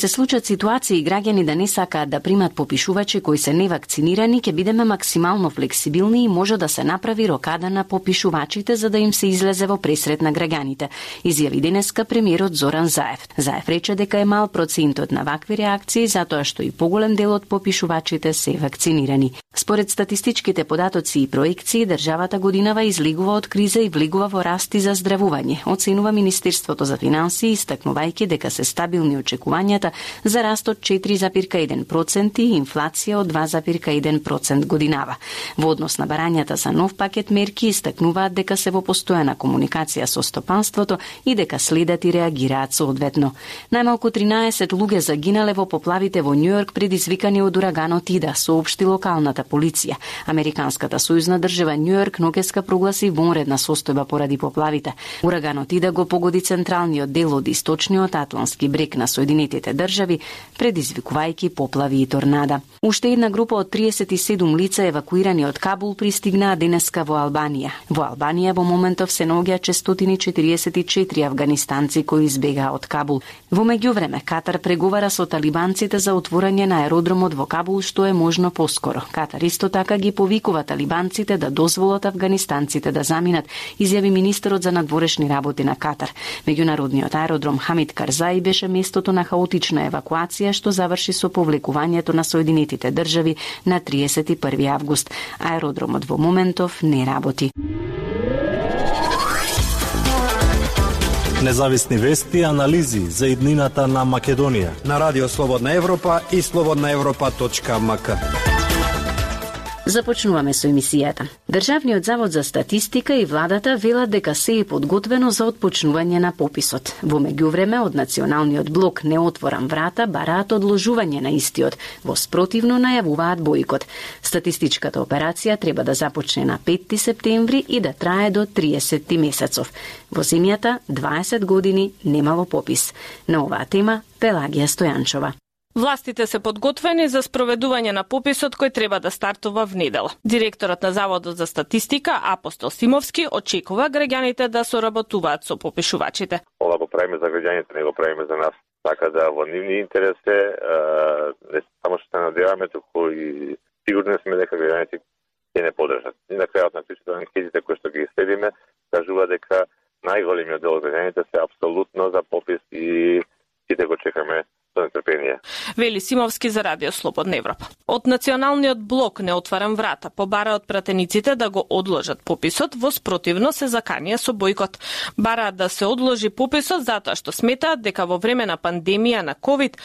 се случат ситуации граѓани да не сакаат да примат попишувачи кои се невакцинирани, ќе бидеме максимално флексибилни и може да се направи рокада на попишувачите за да им се излезе во пресрет на граѓаните, изјави денеска премиерот Зоран Заев. Заев рече дека е мал процентот на вакви реакции затоа што и поголем дел од попишувачите се вакцинирани. Според статистичките податоци и проекции, државата годинава излегува од криза и влегува во раст и заздравување, оценува Министерството за финансии, истакнувајќи дека се стабилни очекувањата за раст од 4,1% и инфлација од 2,1% годинава. Во однос на барањата за нов пакет мерки истакнуваат дека се во постојана комуникација со стопанството и дека следат и реагираат соодветно. Најмалку 13 луѓе загинале во поплавите во Њујорк предизвикани од ураганот Ида, соопшти локалната полиција. Американската сојузна држава Њујорк нокеска прогласи вонредна состојба поради поплавите. Ураганот Ида го погоди централниот дел од источниот атлантски брег на Соединетите држави, предизвикувајќи поплави и торнада. Уште една група од 37 лица евакуирани од Кабул пристигнаа денеска во Албанија. Во Албанија во моментов се наоѓаат 644 афганистанци кои избегаа од Кабул. Во меѓувреме, Катар преговара со талибанците за отворање на аеродромот во Кабул што е можно поскоро. Катар исто така ги повикува талибанците да дозволат афганистанците да заминат, изјави министерот за надворешни работи на Катар. Меѓународниот аеродром Хамид Карзаи беше местото на хаотична евакуација што заврши со повлекувањето на Соединетите држави на 31 август. Аеродромот во моментов не работи. Независни вести и анализи за иднината на Македонија на Радио Слободна Европа и slobodnaevropa.mk. Започнуваме со емисијата. Државниот завод за статистика и владата велат дека се е подготвено за отпочнување на пописот. Во меѓувреме, од Националниот блок Не отворам врата бараат одложување на истиот, во спротивно најавуваат бојкот. Статистичката операција треба да започне на 5 септември и да трае до 30 месецов. Во земјата 20 години немало попис. На оваа тема Пелагија Стојанчова. Властите се подготвени за спроведување на пописот кој треба да стартува внедела. Директорот на Заводот за статистика Апостол Симовски очекува граѓаните да соработуваат со попишувачите. Ова го правиме за граѓаните, не го правиме за нас. Така да во нивни интерес е, не само што се надеваме, туку и сигурни сме дека граѓаните ќе не подржат. И на крајот на причата анкетите кои што ги следиме, кажува дека најголемиот дел од граѓаните се апсолутно за попис и сите го чекаме со нетрпение. Вели Симовски за Радио Слободна Европа. Од Националниот блок Не отварам врата побара од пратениците да го одложат пописот, во спротивно се заканија со бојкот. Бараат да се одложи пописот затоа што сметаат дека во време на пандемија на ковид